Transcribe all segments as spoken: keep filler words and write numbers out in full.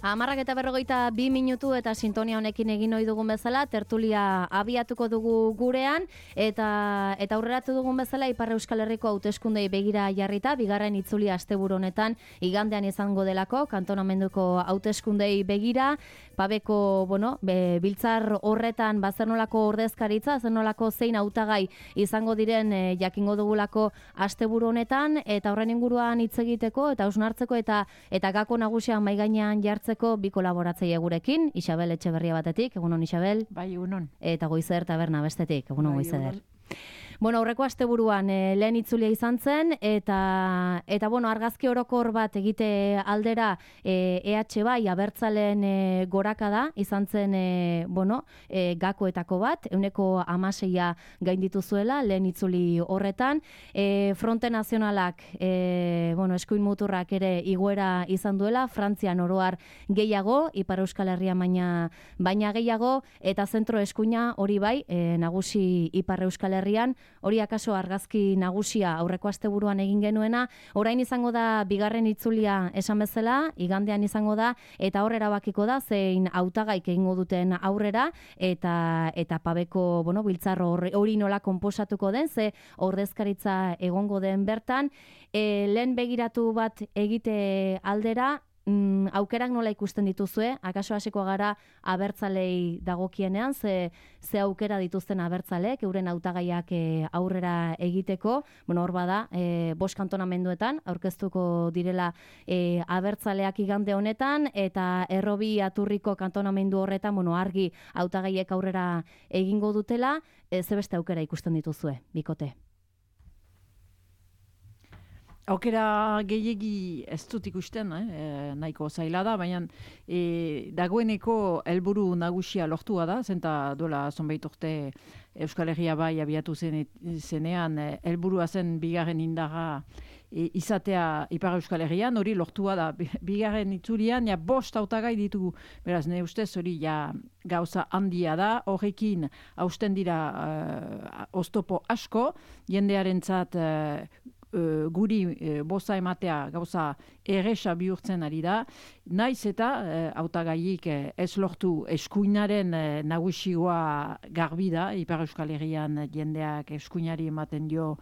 Hamarrak eta berrogeita bi minutu eta sintonia honekin egin ohi dugun bezala, tertulia abiatuko dugu gurean, eta eta aurreratu dugun bezala Ipar Euskal Herriko hauteskundei begira jarrita, bigarren itzulia asteburu honetan igandean izango delako, kantonamenduko hauteskundei begira, pabeko, bueno, be, biltzar horretan bazernolako ordezkaritza, zernolako zein hautagai izango diren e, jakingo dugulako asteburu honetan, eta horren inguruan hitz egiteko eta hausnartzeko eta eta gako nagusian mahai gainean jartzeko bi kolaboratzaile gurekin, Isabel Etxeberria batetik, egunon Isabel. Bai, egunon. Eta Goizer Taberna bestetik, egunon bai, Goizer. Bueno, aurreko asteburuan e, lehen itzulia izan zen, eta, eta bueno, argazki orokor bat egite aldera e, EH bai abertzalen e, gorakada izan zen e, bueno, e, gakoetako bat, euneko amaseia gainditu zuela, lehen itzuli horretan. E, Fronte Nazionalak, e, bueno, eskuin muturrak ere igoera izan duela, Frantzian oroar gehiago, Ipar Euskal Herria baina, baina gehiago, eta zentro eskuina hori bai, e, nagusi Ipar Euskal Herrian, hori akaso argazki nagusia aurreko asteburuan egin genuena, orain izango da bigarren itzulia esan bezala, igandean izango da, eta hor erabakiko da zein hautagaik egingo duten aurrera, eta eta pabeko, bueno, biltzar hori nola konposatuko den, ze ordezkaritza egongo den bertan, e, lehen begiratu bat egite aldera, Mm, aukerak nola ikusten dituzue, akaso hasiko gara abertzalei dagokienean, ze, ze aukera dituzten abertzalek, euren hautagaiak e, aurrera egiteko, bueno, hor bada, e, bost kantonamenduetan, aurkeztuko direla e, abertzaleak igande honetan, eta Errobi Aturriko kantonamendu horretan, bueno, argi hautagaiek aurrera egingo dutela, e, ze beste aukera ikusten dituzue, bikote? Aukera gehiegi ez dut ikusten, eh? E, nahiko zaila da, baina e, dagoeneko helburu nagusia lortua da, zenta dola zonbait urte Euskal Herria bai abiatu zen, zenean helburua zen bigarren indarra e, izatea Ipar Euskal Herrian, hori lortua da. Bigarren itzulian, ja bost hautagai ditugu, beraz, ne ustez hori ja gauza handia da, horrekin hausten dira uh, oztopo asko, jendearentzat uh, Uh, guri uh, boza ematea gauza erresa bihurtzen ari da, naiz eta hautagaiik uh, uh, ez lortu eskuinaren uh, nagusioa garbi da, Ipar Euskal Herrian jendeak eskuinari ematen dio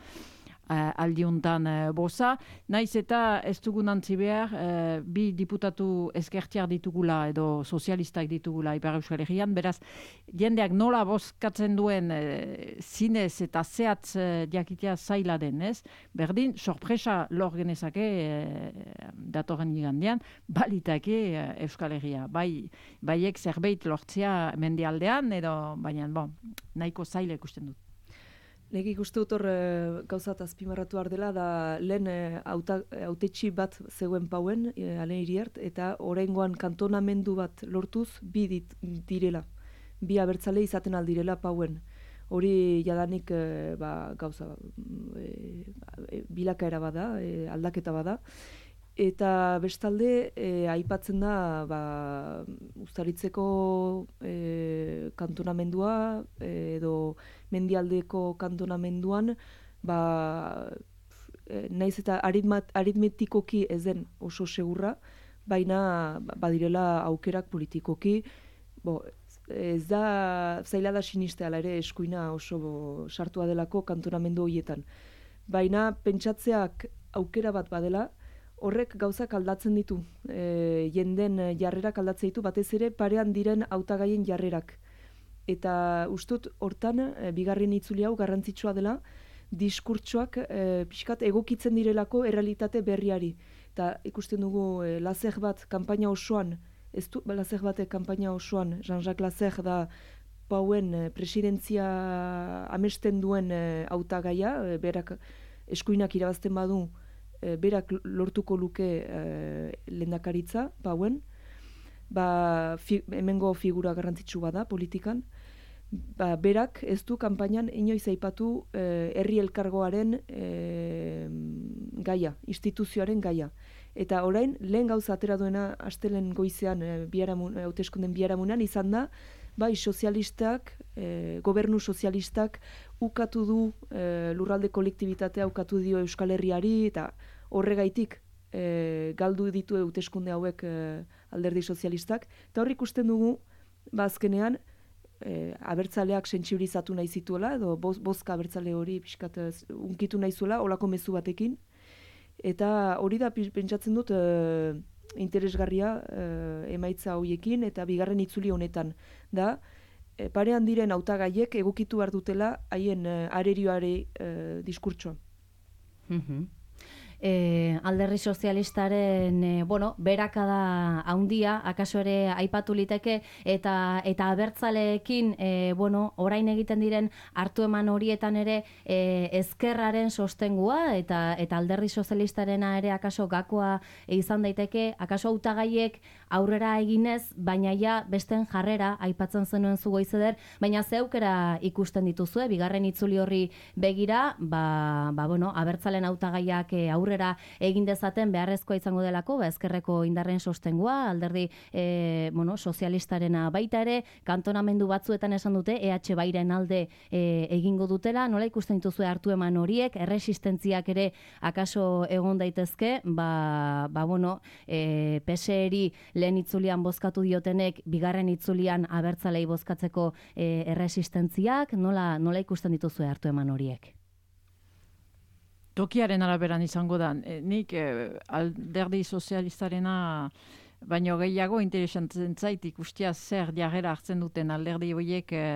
uh, aldiuntan uh, boza, naiz eta ez dugun antzi behar, uh, bi diputatu ezkertiar ditugula edo sozialistak ditugula Ipar Euskal Herrian, beraz, jendeak nola bozkatzen duen uh, zinez eta zehatz uh, jakitea zaila denez, berdin, sorpresa lor genezake uh, datorren igandean, balitake uh, Euskal Herria. Bai, baiek zerbait lortzea mendialdean, edo, baina, bon, nahiko zaila ikusten dut. Nik ikuste dut hor e, gauzat azpimarratu behar dela, da lehen hautetxi e, bat zegoen pauen, e, Alen Iriart, eta oraingoan kantonamendu bat lortuz bi dit, direla. Bi abertzale izaten aldirela pauen. Hori jadanik e, ba, gauza e, e, bilakaera bada, e, aldaketa bada. Eta bestalde, e, aipatzen da, ba, Uztaritzeko e, kantonamendua, e, edo mendialdeko kantonamenduan, ba, e, naiz eta aritmat, aritmetikoki ez den oso segurra, baina badirela aukerak politikoki, bo, ez da, zaila da sinistea ala ere eskuina oso bo, sartua delako kantonamendu horietan. Baina pentsatzeak aukera bat badela, horrek gauzak aldatzen ditu, e, jenden jarrerak aldatzen ditu, batez ere parean diren hautagaien jarrerak. Eta ustut hortan, e, bigarren itzuli hau garrantzitsua dela, diskurtsoak e, pixkat egokitzen direlako errealitate berriari. Eta ikusten dugu e, Lazer bat kanpaina osoan, ez du Lazer batek kanpaina osoan, Jean-Jacques Lazer da pauen e, presidentzia amesten duen hautagaia, e, berak eskuinak irabazten badu, berak lortuko luke e, lehendakaritza, pauen, ba, fi, hemengo figura garrantzitsu bada politikan, ba, berak ez du kanpainan inoiz aipatu e, herri elkargoaren e, gaia, instituzioaren gaia. Eta orain, lehen gauza atera duena astelen goizean, e, biharamun, hauteskunden biharamunan izan da, bai sozialistak, e, gobernu sozialistak ukatu du e, lurralde kolektibitatea ukatu dio Euskal Herriari, eta horregaitik e, galdu ditu hauteskunde hauek e, alderdi sozialistak, eta hor ikusten dugu, ba azkenean, e, abertzaleak sentsibilizatu nahi zituela, edo boz, bozka abertzale hori pixkat unkitu nahi zuela, olako mezu batekin, eta hori da pentsatzen dut e, interesgarria e, emaitza horiekin, eta bigarren itzuli honetan da, e, parean diren hautagaiek egokitu behar dutela haien e, arerioare e, diskurtsoa. Mm-hmm. E, alderdi sozialistaren e, bueno, berakada handia, akaso ere aipatu liteke, eta eta abertzaleekin e, bueno, orain egiten diren hartu eman horietan ere e, ezkerraren sostengua, eta eta alderdi sozialistarena ere akaso gakoa izan daiteke, akaso hautagaiek aurrera eginez, baina ja besten jarrera aipatzen zenuen zu Goizeder, baina zeukera ikusten dituzue, bigarren itzuli horri begira, ba, ba bueno, abertzalen hautagaiak e, aurrera egin dezaten beharrezkoa izango delako, ba, ezkerreko indarren sostengua, alderdi e, bueno, sozialistarena baita ere, kantonamendu batzuetan esan dute, E H Bairen alde e, egingo dutela, nola ikusten dituzue hartu eman horiek, erresistentziak ere akaso egon daitezke, ba, ba bueno, e, P S eri lehen itzulian bozkatu diotenek, bigarren itzulian abertzalei bozkatzeko e, erresistentziak, nola, nola ikusten dituzue hartu eman horiek? Tokiaren araberan izango da, e, nik e, alderdi sozialistarena baino gehiago interesantzen zait ikustia zer jarrera hartzen duten alderdi horiek e,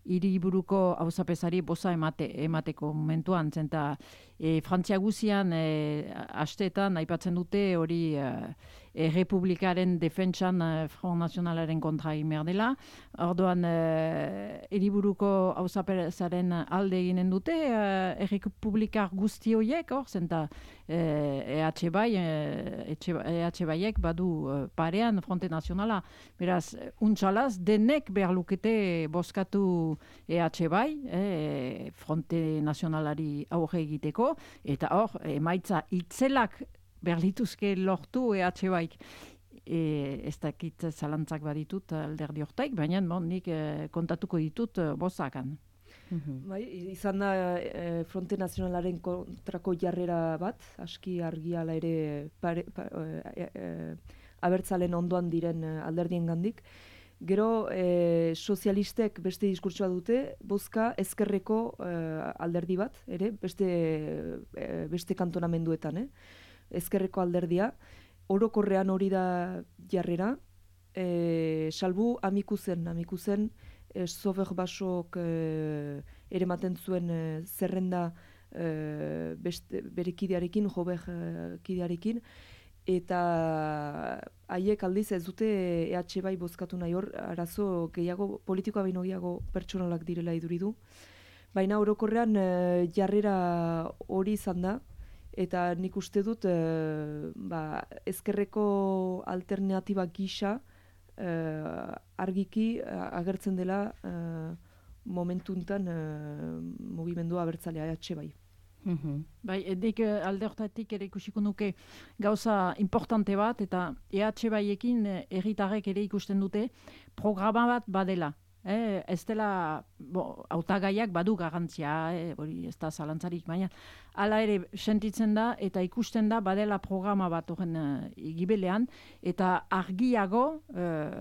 hiriburuko auzapezari boza emate, emateko momentuan, zenta e, Frantzia guzian e, asteetan aipatzen dute hori e, e, Republikaren defentsan e, Front Nationalaren kontra egin behar dela. Orduan hiriburuko e, auzapezaren alde eginen dute e, Republikar guzti horiek, hor, zenta e, E H Bai, E H Baiek badu e, parean Fronte Nazionala. Beraz, untxalaz, denek behar lukete bozkatu E H Bai, e, Fronte Nazionalari aurre egiteko, eta hor, emaitza itzelak berlituzke lortu E H Baik. E, ez dakit zalantzak baditut alderdi hortaik, baina bon, nik e, kontatuko ditut e, bozakan. Bai, izan da e, Fronte Nazionalaren kontrako jarrera bat, aski argiala ere pare, pa, e, e, abertzalen ondoan diren alderdien gandik. Gero e, sozialistek beste diskurtsoa dute, bozka ezkerreko e, alderdi bat, ere, beste, e, beste kantonamenduetan, eh? Ezkerreko alderdia, orokorrean hori da jarrera, e, salbu amikuzen, amikuzen, e, Sober Basok e, ere maten zuen e, zerrenda e, beste, bere kidearekin, Jober e, kidearekin, eta haiek aldiz ez dute E H Bai bozkatu nahi, hor arazo gehiago, politikoa baino gehiago pertsonalak direla iduridu. Baina orokorrean e, jarrera hori izan da, eta nik uste dut e, ba, ezkerreko alternatiba gisa e, argiki agertzen dela e, momentu enten e, mugimendua abertzalea E H Bai. Mm-hmm. Bai, edik alde hortatik ere ikusiko nuke gauza importante bat, eta E H Baiekin herritarrek ere ikusten dute programa bat badela. Eh, ez dela, hautagaiak badu garantzia, eh, hori ez da zalantzarik, baina hala ere sentitzen da eta ikusten da badela programa bat horren uh, igibelean, eta argiago uh,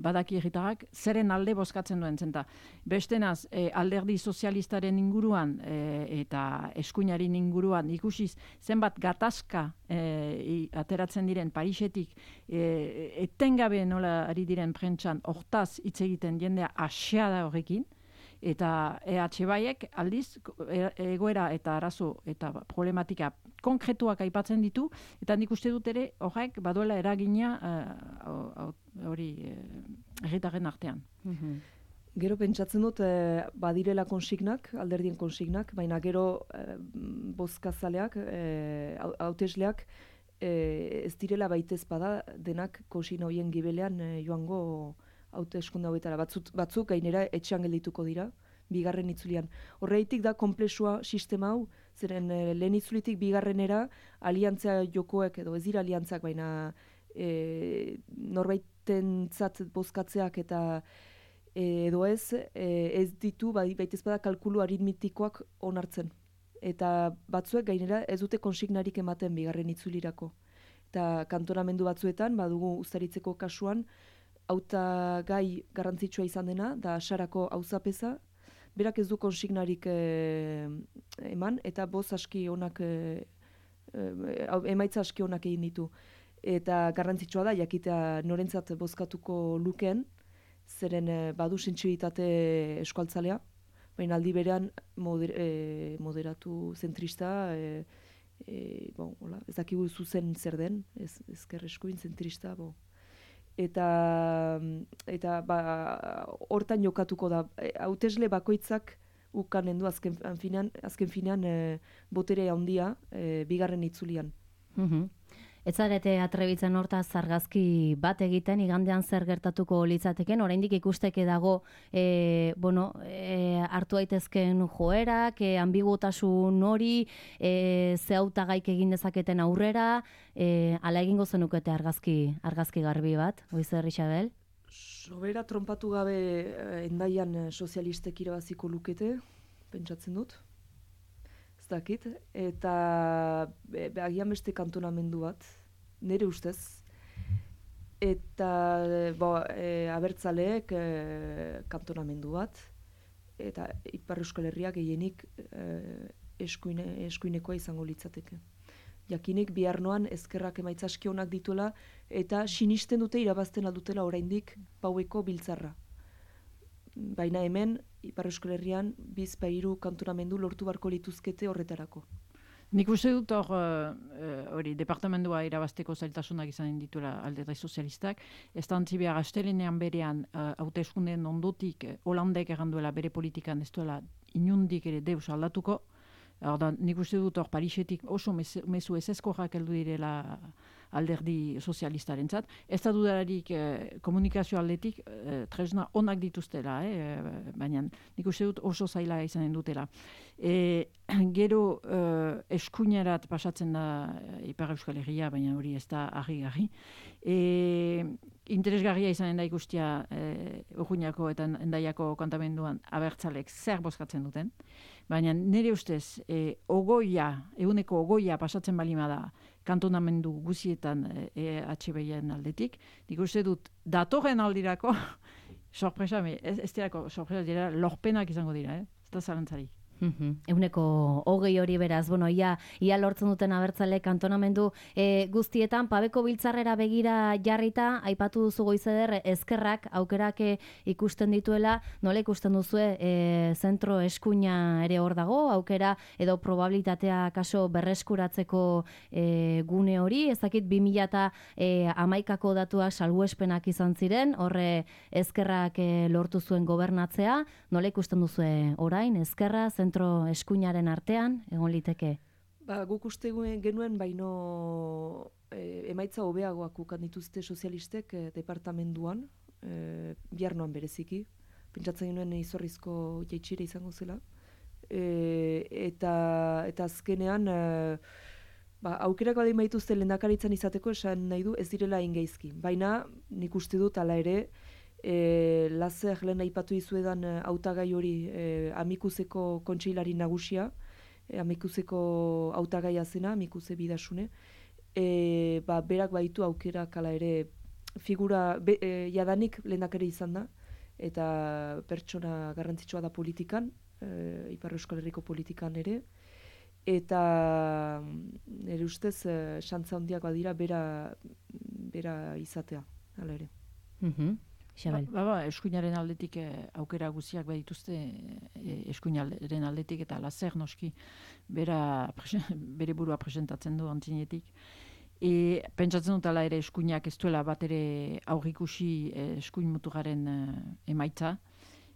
badaki herritarrak zeren alde bozkatzen duen zenta. Bestenaz, eh, alderdi sozialistaren inguruan eh, eta eskuinaren inguruan ikusiz zenbat gatazka eh, ateratzen diren Parisetik, eh, etengabe nola ari diren prentsan hortaz hitz egiten jendea asia da horrekin, eta E H Baiek aldiz egoera eta arazo eta problematika konkretuak aipatzen ditu, eta nik uste dut ere horrek baduela eragina hori uh, herritarren artean. Mm-hmm. Gero pentsatzen dut eh, badirela konsignak, alderdien konsignak, baina gero eh, bozkazaleak, eh, hautesleak eh, ez direla baitez bada denak konsigna horien gibelean eh, joango hauteskunde hauetara. Batzuk, batzuk gainera etxean geldituko dira, bigarren itzulian. Horreitik da konplexua sistema hau, zeren e, lehen itzulitik bigarrenera aliantzia jokoek, edo ez dira aliantzak, baina e, norbaitentzat bozkatzeak eta e, edo ez, e, ez ditu, bai, baitez bada kalkulu aritmetikoak onartzen. eta batzuek gainera ez dute konsignarik ematen bigarren itzulirako. Eta kantonamendu batzuetan, badugu Uztaritzeko kasuan, hautagai garrantzitsua izan dena, da Sarako auzapeza, berak ez du konsignarik e, eman, eta boz aski onak, e, e, emaitza aski onak egin ditu. Eta garrantzitsua da, jakitea norentzat bozkatuko lukeen, zeren e, badu sentsibilitate eskualtzalea, baina aldi berean moder, e, moderatu zentrista, e, e, bon, hola, ez dakigu zuzen zer den, ez, ezker eskuin zentrista, bo. Eta, eta ba, hortan jokatuko da, hautesle bakoitzak ukanen du azken finean, azken finean e, botere handia e, bigarren itzulian. Mm-hmm. Ez zarete atrebitzen hortaz argazki bat egiten, igandean zer gertatuko litzateken, oraindik ikusteke dago e, bueno, e, hartu daitezken joerak, e, ambigutasun hori, e, ze hautagaik egin dezaketen aurrera, e, ala egingo zenukete argazki, argazki garbi bat, Goizer Isabel? Sobera trompatu gabe Hendaian sozialistek irabaziko lukete, pentsatzen dut. Ez dakit, eta be, be, agian beste kantonamendu bat, nire ustez, eta bo, e, abertzaleek e, kantonamendu bat, eta Ipar Euskal Herria gehienik e, eskuine, eskuinekoa izango litzateke. Jakinik bihar noan ezkerrak emaitza aski onak dituela, eta sinisten dute irabazten aldutela oraindik paueko biltzarra. Baina hemen, Ipar Euskal Herrian, bizpa hiru kantonamendu lortu barko lituzkete horretarako. Nik uste dut hor, hori, uh, departamendua irabazteko zailtasunak izan dituela Alderdi Sozialistak, ez da antzi behar astelenean berean hauteskundeen uh, ondotik uh, Holandek erranduela bere politikan ez duela inundik ere deus aldatuko. Ordan, nik uste dut hor Parisetik oso mezu ezezkoak heldu direla Alderdi Sozialistarentzat. Ez da dudararik eh, komunikazio aldetik eh, tresna onak dituztela, eh, baina nik uste dut oso zaila izanen dutela. E, gero eh, eskuinerat pasatzen da Ipar Euskal Herria, baina hori ez da argi-garri. E, interesgarria izanen da ikustia eh, Urruñako eta Hendaiako kantamenduan abertzalek zer bozkatzen duten. Baina nire ustez, e, ogoia, eguneko ogoia pasatzen balima da kantonamendu guzietan E H B-en aldetik, nik uste dut datorren aldirako, sorpresa, ez, ez dirako sorpresa dira, lorpenak izango dira, eh? Ez da zalantzarik. Mm-hmm. Euneko hogei hori beraz, bueno, ia, ia lortzen duten abertzale kantonamendu e, guztietan, pabeko biltzarrera begira jarrita, aipatu duzu Goizeder, ezkerrak aukerak ikusten dituela, nola ikusten duzue e, zentro eskuina ere hor dago, aukera edo probabilitatea kaso berreskuratzeko e, gune hori, ezakit bi mila hamaikako datuak salbuespenak izan ziren, horre ezkerrak e, lortu zuen gobernatzea, nola ikusten duzue orain, ezkerra, zentro eskuinaren artean, egon liteke? Ba, guk uste genuen baino e, emaitza hobeagoak ukan dituzte sozialistek e, departamenduan, e, biharnoan bereziki. Pentsatzen genuen izorrizko jaitsire izango zela. E, eta, eta azkenean, e, ba, aukerak badin baituzte lehendakaritzan izateko esan nahi du ez direla ingeizki. Baina nik uste dut ala ere, E, Lazer lehen aipatu izuedan hautagai hori e, Amikuzeko kontseilari nagusia, e, Amikuzeko hautagaia zena, Amikuze Bidasune, e, ba, berak baitu aukerak ala ere figura be, e, jadanik lehendakari izan da, eta pertsona garrantzitsua da politikan, e, Ipar Euskal Herriko politikan ere, eta nire ustez xantza handiak badira bera, bera izatea, ala ere. Mm-hmm. Ba, ba, ba, eskuinaren aldetik eh, aukera guziak badituzte eh, eskuinaren aldetik eta Lazer noski bera, bere burua presentatzen du antzinetik. E, pentsatzen dut ala ere eskuinak ez duela bat ere aurrikusi eh, eskuin muturaren eh, emaitza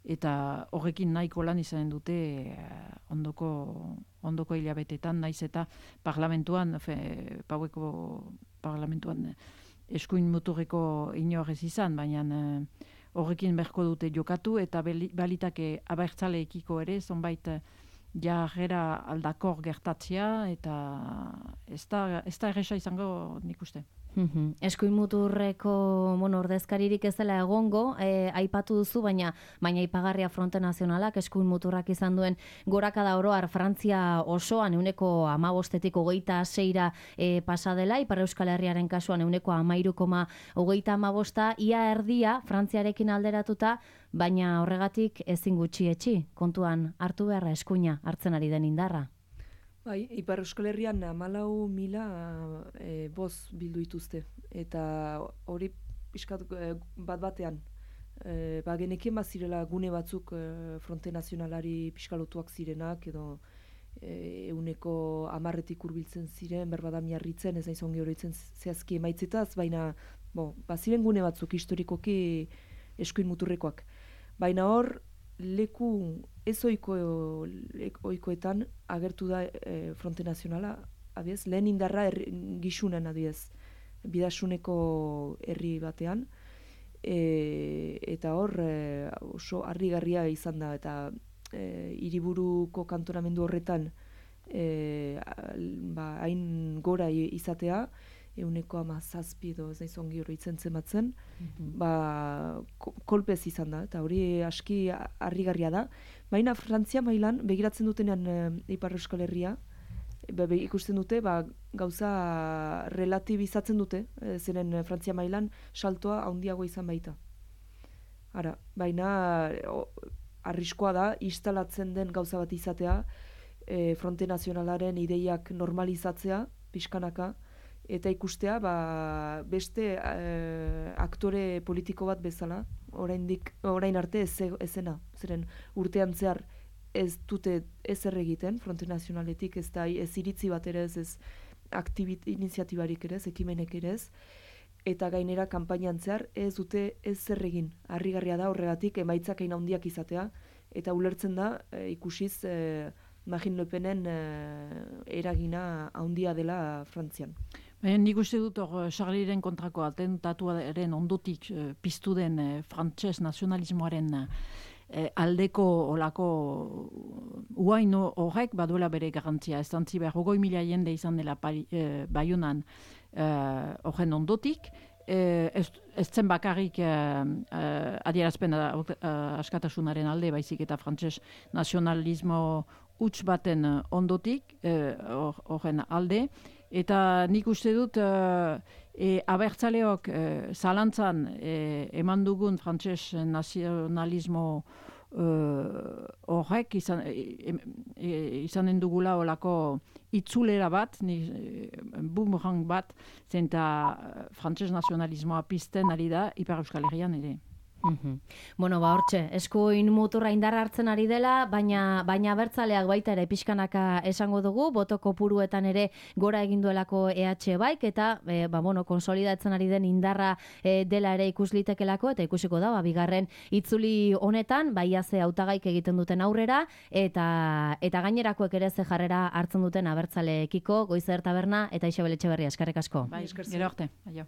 eta horrekin nahiko lan izanen dute eh, ondoko, ondoko hilabetetan naiz eta parlamentuan, fe, paueko parlamentuan eskuin muturreko inorrez izan, baina eh, horrekin berko dute jokatu eta balitake abertzaleekiko ere, zonbait jarrera aldakor gertatzea eta ez da, ez da erresa izango nik uste. Mhm. Eskuin muturreko bueno, ordezkaririk ez dela egongo, eh, aipatu duzu, baina baina aipagarria Fronte Nazionalak eskuin muturrak izan duen gorakada oroar Frantzia osoan ehuneko hamabostetik hogeita seira eh, pasa dela, Ipar Euskal Herriaren kasuan ehuneko hamairu koma hogeita hamabosta, ia erdia Frantziarekin alderatuta, baina horregatik ezin gutxi etxi, kontuan hartu beharra eskuina hartzen ari den indarra. Bai, Ipar Euskal Herrian hamalau mila e, boz bildu dituzte. Eta hori pixkat e, bat batean. E, ba, genekien bazirela gune batzuk e, Fronte Nazionalari pixkalotuak zirenak, edo e, euneko amarretik hurbiltzen ziren, berbada miarritzen, ez nahiz ongi horretzen zehazki emaitzetaz, baina bo, baziren gune batzuk historikoki eskuin muturrekoak. Baina hor, leku ez ohiko ohikoetan agertu da e, Fronte Nazionala, abiez, lehen indarra er, gixunen adiez, bidasuneko herri batean, e, eta hor e, oso harrigarria izan da, eta e, hiriburuko kantonamendu horretan e, ba, hain gora izatea, euneko ama zazpi edo ez naiz ongi oroitzen zematzen, mm-hmm. ba, kolpez izan da, eta hori aski harrigarria da. Baina Frantzia mailan, begiratzen dutenean e, Ipar Euskal Herria, be, be, ikusten dute, ba, gauza relatibizatzen dute, e, zeren Frantzia mailan saltoa handiago izan baita. Ara, baina o, arriskoa da, instalatzen den gauza bat izatea, e, Fronte Nazionalaren ideiak normalizatzea, pixkanaka, eta ikustea ba, beste e, aktore politiko bat bezala, oraindik, orain arte ez, ezena. Zeren urtean zehar ez dute ezer egiten, Fronte Nazionaletik, ez da ez iritzi bat ere ez, ez aktibit, iniziatibarik ere ez, ekimenek ere ez, eta gainera kanpainan zehar ez dute ezer egin. Harrigarria da horregatik emaitzak hain handiak izatea, eta ulertzen da e, ikusiz e, Marine Le Penen e, eragina handia dela Frantzian. Baina nik uste dut hor Charlieren kontrako atentatuaren ondotik eh, piztu den eh, frantses nazionalismoaren eh, aldeko olako uain horrek baduela bere garantzia. Ez dantzi behar, hogoi mila jende izan dela pari, eh, Baionan horren eh, ondotik, eh, ez, ez zen bakarrik eh, eh, adierazpen eh, askatasunaren alde, baizik eta frantses nazionalismo huts baten ondotik, horren eh, alde, eta nik uste dut uh, e, abertzaleok uh, zalantzan e, eman dugun frantses nazionalismo horrek uh, izan, e, e, izanen dugula olako itzulera bat, ni, e, boomerang bat, zenta frantses nazionalismoa pizten ari da Ipar Euskal Herrian ere. Mm-hmm. Bueno, ba hortxe, eskuin muturra indarra hartzen ari dela, baina baina abertzaleak baita ere pixkanaka esango dugu, boto kopuruetan ere gora egin duelako E H baik, eta e, ba, bueno, konsolidatzen ari den indarra e, dela ere ikuslitekelako, eta ikusiko da, ba, bigarren itzuli honetan, baiaz hautagaik egiten duten aurrera, eta eta gainerakoek ere ze jarrera hartzen duten abertzaleekiko, Goizer Taberna eta Isabel Etxeberria, eskerrik asko. Bai, gero arte. Aio.